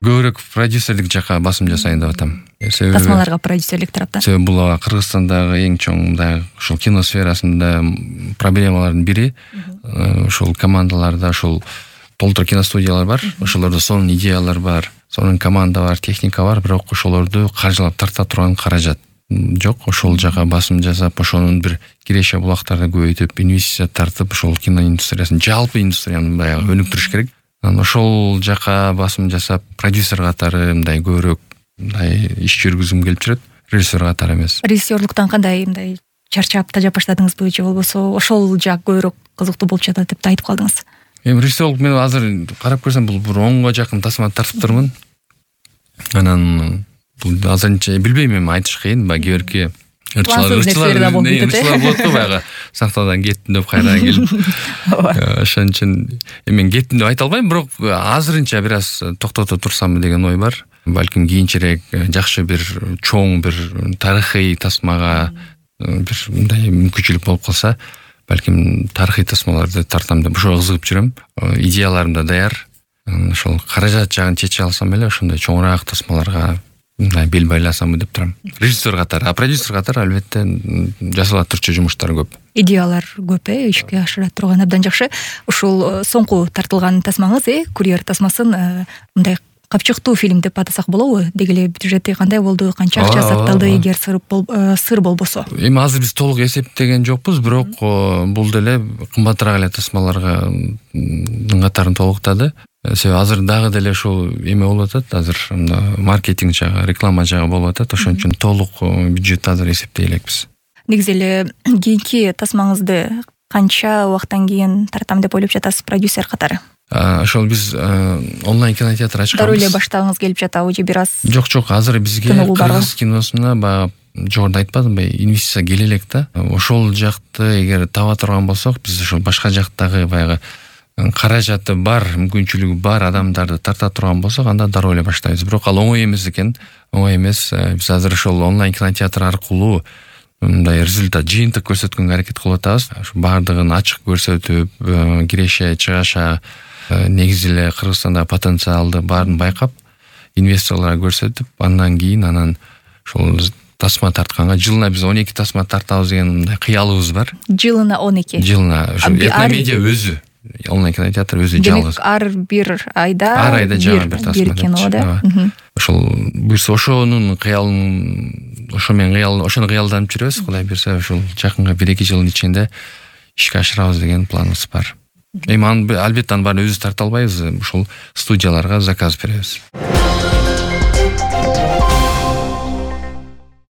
көбүрөөк продюсерлик жакка басым жасайын деп атам. Тасмаларга продюсерлик тараптан. Себеби бул Кыргызстандагы эң чоң мындай ушул кино сферасында проблемалардын бири. Ушул командаларда ушул толтур киностудиялар бар, ошолордо сонун идеялар бар, сонун команда бар, техника бар, бирок ошолорду каржылап тарта турган каражат жок. Ошол жака басым жасап, ошонун бир киреше булактарды көбөйтүп, инвестиция тартып, ошол кино индустриясын, жалпы индустрияны баягы өнүктүрүш керек. Ошол жака басым жасап, продюсер катары мындай көбүрөөк мындай иш жүргүзүм келип жүрөт. Режиссер катары эмес. Режиссерлуктан кандай мындай чарчап тажап баштадыңызбы же болбосо ошол жак көбүрөөк кызыктуу болуп жатат деп айтып калдыңыз? Режиссерлук мен азыр карап көрсөм бул бир 10га жакын тасма тартып турмун. Анан бул азырынча билбейм, эми айтыш кыйын, кээ бирки ырчылар болот го баягы сахнадан кеттим деп кайра келип. Ошон үчүн мен кеттим деп айта албайм, бирок азырынча бир аз токтото турсам деген ой бар. Балким кийинчерээк жакшы бир чоң бир тарыхый тасмага бир мындай мүмкүнчүлүк болуп калса, балким тарыхый тасмаларды тартам деп ошого кызыгып жүрөм. Идеяларым да даяр. Ошол каражат жагын чече алсам эле ошондой чоңураак тасмаларга мындай бел байласамбы деп турам. Режиссер катары, продюсер катары албетте жасала турчу жумуштар көп. Идеялар көп, ишке ашыра турган абдан жакшы. Ушул соңку тартылган тасмаңыз, Курьер тасмасын мындай капчыктуу фильм деп атасак болобу? Деги эле бюджети кандай болду, канча акча сакталды, эгер сыр болбосо? Эми азыр биз толук эсептеген жокпуз, бирок бул деле кымбатыраак эле тасмаларга катарын толуктады. Себеби азыр дагы деле ушул эме болуп атат, азыр маркетинг жагы, реклама жагы болуп атат, ошон үчүн толук бюджет азыр эсептей элекпиз. Негизи эле кийинки тасмаңызды канча убакыттан кийин тартам деп ойлоп жатасыз продюсер катары? Ошол биз онлайн кинотеатр ачканбыз. Дароо эле баштагыңыз келип жатабы же бир аз? Жок, азыр бизге кыргыз киносуна баягы жогоруда айтпадымбы, инвестиция келе элек да. Ошол жакты эгер таба турган болсок, биз ошол башка жактагы баягы каражаты бар, мүмкүнчүлүгү бар адамдарды тарта турган болсок, анда дароо эле баштайбыз. Бирок ал оңой эмес экен. Оңой эмес. Биз азыр ошол онлайн кинотеатр аркылуу мындай результат, жыйынтык көрсөткөнгө аракет кылып атабыз. Ушу баардыгын ачык көрсөтүп, киреше, чыгаша, негизи эле Кыргызстандагы потенциалды баарын байкап, инвесторлорго көрсөтүп, андан кийин ошол тасма тартканга жылына биз 12 тасма тартабыз деген мындай кыялыбыз бар. Жылына 12. Жылына ошо Этномедиа өзү, онлайн кинотеатр өзү жалгыз. Ар бир айда жаңы бир тасма кино да. Ошол буйрса ошонун кыялын, ошону кыялданып жүрөбүз. Кудай берсе, ошол жакынкы 1-2 жылдын ичинде ишке ашырабыз деген планыбыз бар. Эми албетте аны баарын өзүбүз тарта албайбыз, ушул студияларга заказ беребиз.